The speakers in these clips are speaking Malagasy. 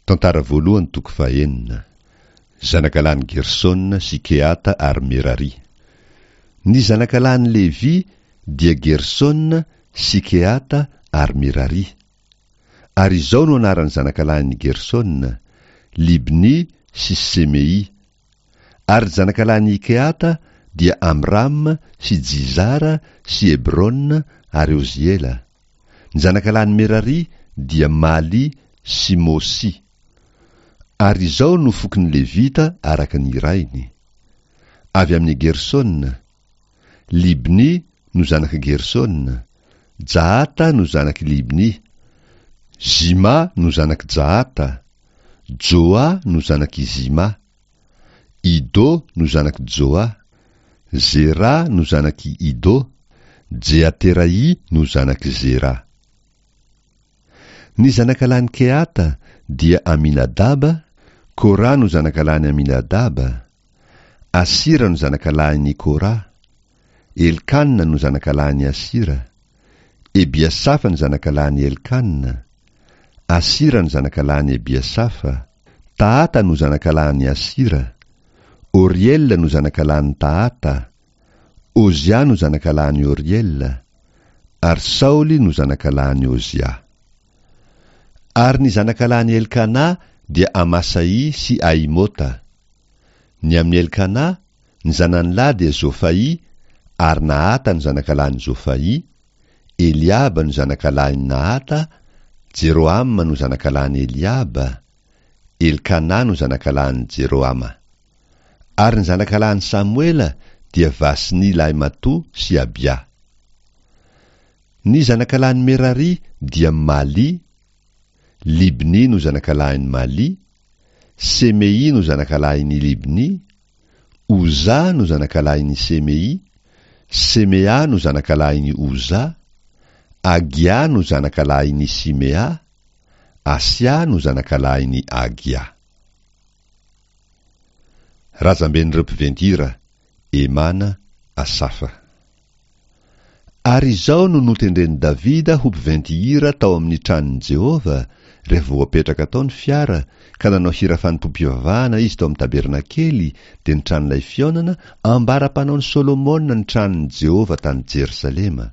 Tantara voalohany toko fahenina. Zanakalahin'i Gersona sy Kehata ary Merari. Ny zanakalahin'i Levy dia Gersona sy Kehata ary Merari. Ary izao no anaran'ny zanakalahin'i Gersona, Libny sy Semei. Ary ny zanakalahin'i Kehata dia Amram sy Jizara sy Hebrona ary Oziela. Ny zanakalahin'i Merari dia Maly sy Mosy. Ary izao no fokon'ny Levita araka ny rainy. Avy amin'i Gersona, Libny no zanak'i Gersona, Jahata no zanak'i Libny, Zima no zanak'i Jahata, Joa no zanak'i Zima, Ido no zanak'i Joa, Zera no zanak'i Ido, Jeateraì no zanak'i Zera. Ny zanakalahin'i Kehata dia Aminadaba, Kora no zanakalahin'i Aminadaba, Asira no zanakalahin'i Kora, Elkana no zanakalahin'i Asira, Ebiasafa no zanakalahin'i Elkana, Asira no zanakalahin'i Ebiasafa, Tahata no zanakalahin'i Asira, Oriela no zanakalahin'i Tahata, Ozia no zanakalahin'i Oriela, ary Saoly no zanakalahin'i Ozia. Ary ny zanakalahin'i Elkana dia Amasaì sy Ahimota. Ny amin'i Elkana, ny zanany lahy dia Zofaì, ary Nahata no zanakalahin'i Zofaì, Eliaba no zanakalahin'i Nahata, Jerohama no zanakalahin'i Eliaba, Elkana no zanakalahin'i Jerohama. Ary ny zanakalahin'i Samoela dia Vasny lahimatoa sy Abia. Ny zanakalahin'i Merari dia Mali, Libny no zanakalahin'i Mali, Semei no zanakalahin'i Libny, Oza no zanakalahin'i Semei, Semea no zanakalahin'i Oza, Agia no zanakalahin'i Simea, Asia no zanakalahin'i Agia. Razamben'ireo mpiventy hira, Emana, Asafa. Ary izao no notendren'i Davida ho mpiventy hira tao amin'ny tranon'i Jehovah, rehefa voapetraka tao ny fiara, ka nanao hira fanompoam-pivavahana izy tao amin'ny tabernakely, dia ny tranolay fihaonana, ambara-panaon'i Solomona ny tranon'i Jehovah tany Jerosalema.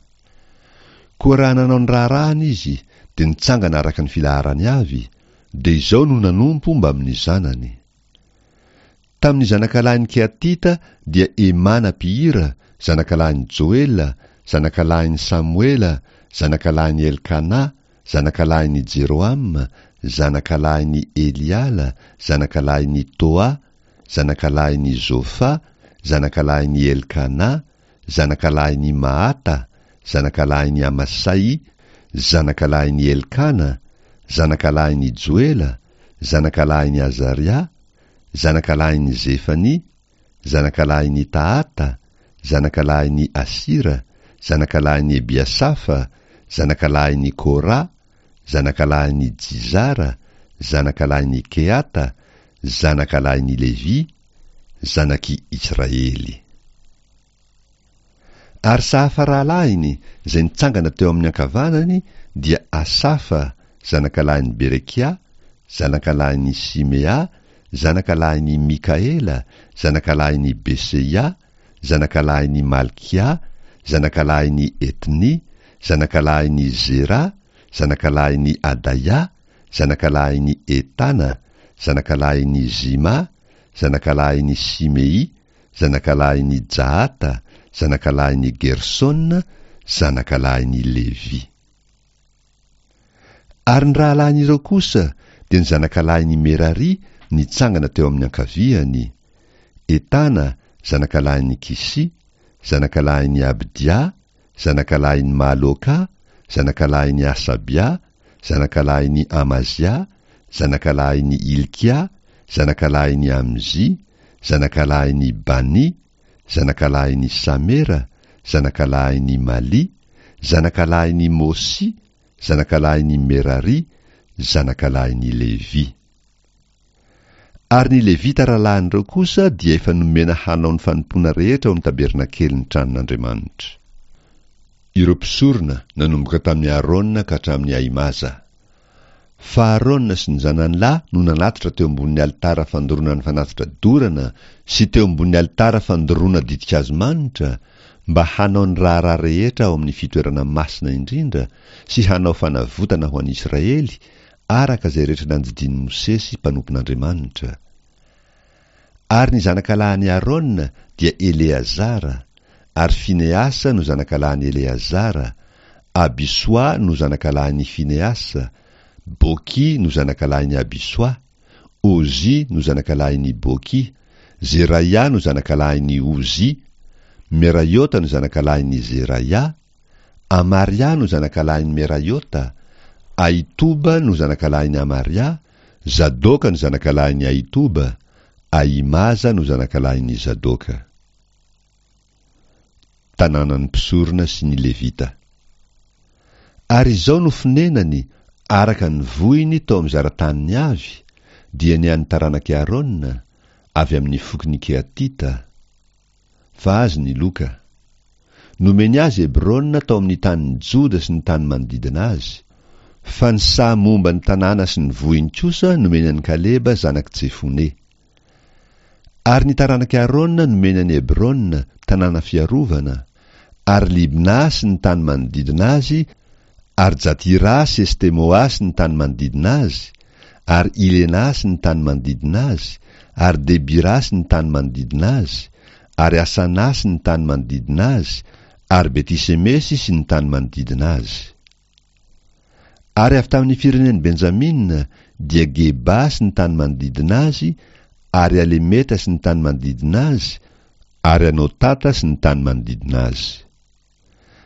Koa raha nanao ny raharahany izy, dia nitsangana araka ny filaharany avy, dia izao no nanompo mbamin'ny zanany. Tamin'ny zanakalahin'i Kehatita dia Hemana mpihira, zanakalahin'i Joela, zanakalahin'i Samoela, zanakalahin'i Elkana, zanakalahin'i Jerohama, zanakalahin'i Eliala, zanakalahin'i Toa, zanakalahin'i Zofa, zanakalahin'i Elkana, zanakalahin'i Mahata, zanakalahin'i Amasai, zanakalahin'i Elkana, zanakalahin'i Joela, zanakalahin'i Azaria, zanakalahin'i Zefania, zanakalahin'i Tahata, zanakalahin'i Asira, zanakalahin'i Ebiasafa, zanakalahin'i Kora, zanakalahin'i Jizara, zanakalahin'i Kehata, zanakalahin'i Levy, zanak'i Israely. Ary Sahafa rahalahiny, izay nitsangana teo amin'ny ankavanany, dia Asafa, zanakalahin'i Berekia, zanakalahin'i Simea, zanakalahin'i Mikaela, zanakalahin'i Beseia, zanakalahin'i Malkia, zanakalahin'i Etny, zanakalahin'i Zera, zanakalahin'i Adaia, zanakalahin'i Etana, zanakalahin'i Zima, zanakalahin'i Simei, zanakalahin'i Jahata, zanakalahin'i Gersona, zanakalahin'i Levy. Ary ny rahalahin'ireo kosa dia ny zanakalahin'i Merari nitsangana teo amin'ny ankaviany, Etana, zanakalahin'i Kisy, zanakalahin'i Abdia, zanakalahin'i Maloka, zanakalahin'i Hasabia, zanakalahin'i Amazia, zanakalahin'i Hilkia, zanakalahin'i Amzi, zanakalahin'i Bani, zanakalahin'i Samera, zanakalahin'i Mali, zanakalahin'i Mosy, zanakalahin'i Merari, zanakalahin'i Levy. Ary ny Levita rahalahin'ireo kosa dia efa nomena hanao ny fanompoana rehetra ao amin'ny tabernakelin'ny tranon'Andriamanitra. Ireo mpisorona, nanomboka tamin'i Arona ka hatramin'i Ahimaza. Fa Arona sy ny zanany lahy no nanatitra teo ambonin'ny alitara fandoroana ny fanatitra dorana sy teo ambonin'ny alitara fandoroana ditin-kazo manitra, mba hanao ny raharaha rehetra ao amin'ny fitoerana masina indrindra sy hanao fanavotana ho an'i Israely, araka izay rehetra nandidian'i Mosesy mpanompon'Andriamanitra. Ary ny zanakalahin'i Arona dia Eleazara, ary Finehasa no zanakalahin'i Eleazara, Abisoa no zanakalahin'i Finehasa, Boky no zanakalahin'i Abisoa, Ozy no zanakalahin'i Boky, Zeraia no zanakalahin'i Ozy, Meraiota no zanakalahin'i Zeraia, Amaria no zanakalahin'i Meraiota, Ahitoba no zanakalahin'i Amaria, Zadoka no zanakalahin'i Ahitoba, Ahimaza no zanakalahin'i Zadoka. Tanànan'ny mpisorona sy ny Levita. Ary izao no fonenany araka ny vohiny tao amin'ny zara-taniny avy, dia ny an'ny taranak'i Arona, avy amin'ny fokon'i Kehatita, fa azy ny loka. Nomeny azy Hebrona tao amin'ny tanin'i Joda sy ny tany manodidina azy, fa ny saha momba ny tanàna sy ny vohiny kosa nomeny an'i Kaleba zanak'i Jefone. Ary ny taranak'i Arona nomeny an'i Hebrona, tanàna fiarovana, ary Libna sy ny tany manodidina azy, ary Jatira sy Estemoa sy ny tany manodidina azy, ary Ilena sy ny tany manodidina azy, ary Debira sy ny tany manodidina azy, ary Asana sy ny tany manodidina azy, ary Beti-semesy sy ny tany manodidina azy. Ary avy tamin'ny firenen'i Benjamina dia Geba sy ny tany manodidina azy, ary Alemeta sy ny tany manodidina azy, ary Anotata sy ny tany manodidina azy.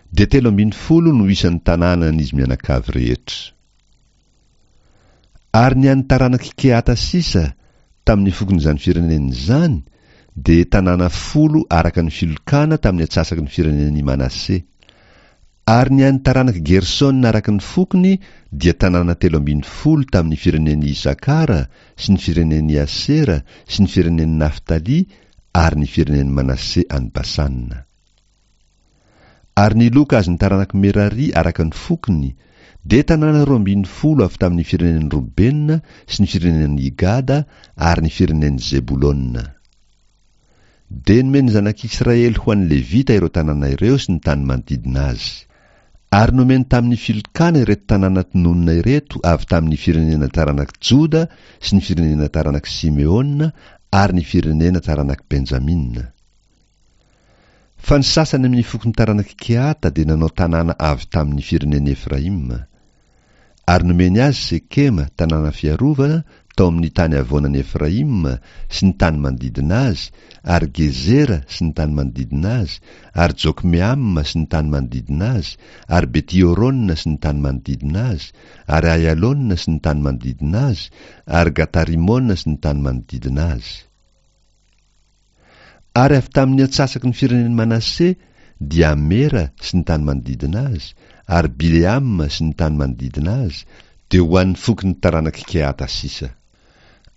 Dia 13 no isan'ny tanànan'izy mianakavy rehetra. Ary ny an'ny taranak'i Kehata sisa, tamin'ny fokon'izany firenena izany, dia tanàna folo araka ny filokana tamin'ny antsasaky ny firenen'i Manase. Ary ny an'ny taranak'i Gersona araka ny fokony dia tanàna 13 tamin'ny firenen'i Isakara sy ny firenen'i Asera sy ny firenen'i Naftaly ary ny firenen'i Manase any Basana. Ary ny loka azon'ny taranak'i Merary araka ny fokony dia tanàna 12 avy tamin'ny firenen'i Robena sy ny firenen'i Gada ary ny firenen'i Zebolona. Dia nomen'ny zanak'Israely ho an'ny Levita ireo tanàna ireo sy ny tany manodidina azy. Ary nomeny tamin'ny filokana ireto tanàna tononina ireto avy tamin'ny firenena taranak'i Joda sy ny firenena taranak'i Simeona ary ny firenena taranak'i Benjamina. Fa ny sasany amin'ny fokon'ny taranak'i Kehata dia nanao tanàna avy tamin'ny firenen'i Efraima. Ary nomeny azy Sekema, tanàna fiarovana, tao amin'ny tany havoanan'i Efraima sy ny tany manodidina azy, ary Gezera sy ny tany manodidina azy, ary Jokmeama sy ny tany manodidina azy, ary Beti-Horona sy ny tany manodidina azy, ary Aialona sy ny tany manodidina azy, ary Gata-Rimona sy ny tany manodidina azy. Ary avy tamin'ny antsasaky ny firenen'i Manase dia Amera sy ny tany manodidina azy, ary Bileama sy ny tany manodidina azy, dia ho an'ny fokon'ny taranak'i Kehata sisa.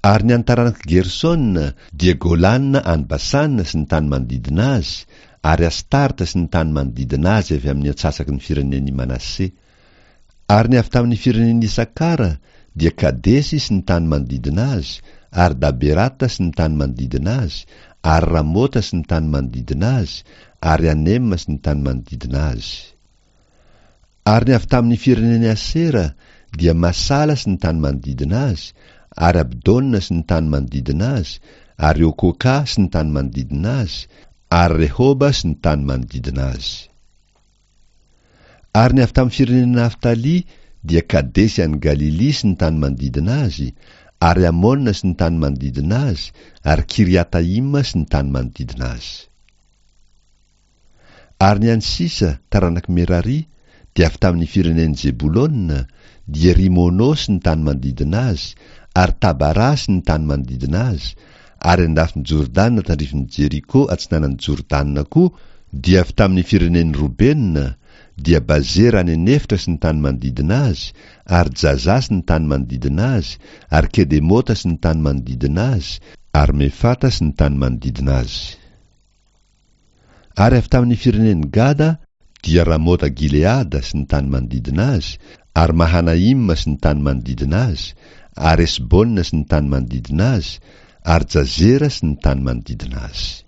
Ary ny an'ny taranak'i Gersona dia Golana any Basana sy ny tany manodidina azy, ary Astarta sy ny tany manodidina azy avy amin'ny antsasaky ny firenen'i Manase. Ary ny avy tamin'ny firenen'i Isakara dia Kadesy sy ny tany manodidina azy, ary Daberata sy ny tany manodidina azy, ary Ramota sy ny tany manodidina azy, ary Anema sy ny tany manodidina azy. Ary ny avy tamin'ny firenen'i Asera dia Masala sy ny tany manodidina azy, ary Abdona sy ny tany manodidina azy, ary Okoka sy ny tany manodidina azy, ary Rehoba sy ny tany manodidina azy. Ary ny avy tamin'ny firenena Naftaly dia Kadesy any Galilia sy ny tany manodidina azy, ary Amona sy ny tany manodidina azy, ary Kiriataima sy ny tany manodidina azy. Ary ny an'ny sisa, taranak'i Merari, dia avy tamin'ny firenen'i Zebolona, dia Rimono sy ny tany manodidina azy, ary Tabara sy ny tany manodidina azy, ary an-dafin'i Jordana tandrifin'i Jeriko atsinanan'i Jordana koa, dia avy tamin'ny firenen'i Robena, dia Bazera any an'efitra sy ny tany manodidina azy, ary Jaza sy ny tany manodidina azy, ary Kedemota sy ny tany manodidina azy, ary Mefata sy ny tany manodidina azy. Ary avy tamin'ny firenen'i Gada, dia Ramota Gileada sy ny tany manodidina azy, Ary Mahanaima sy ny tany manodidina azy, ary Hesbona sy ny tany manodidina azy, ary Jazera sy ny tany manodidina azy.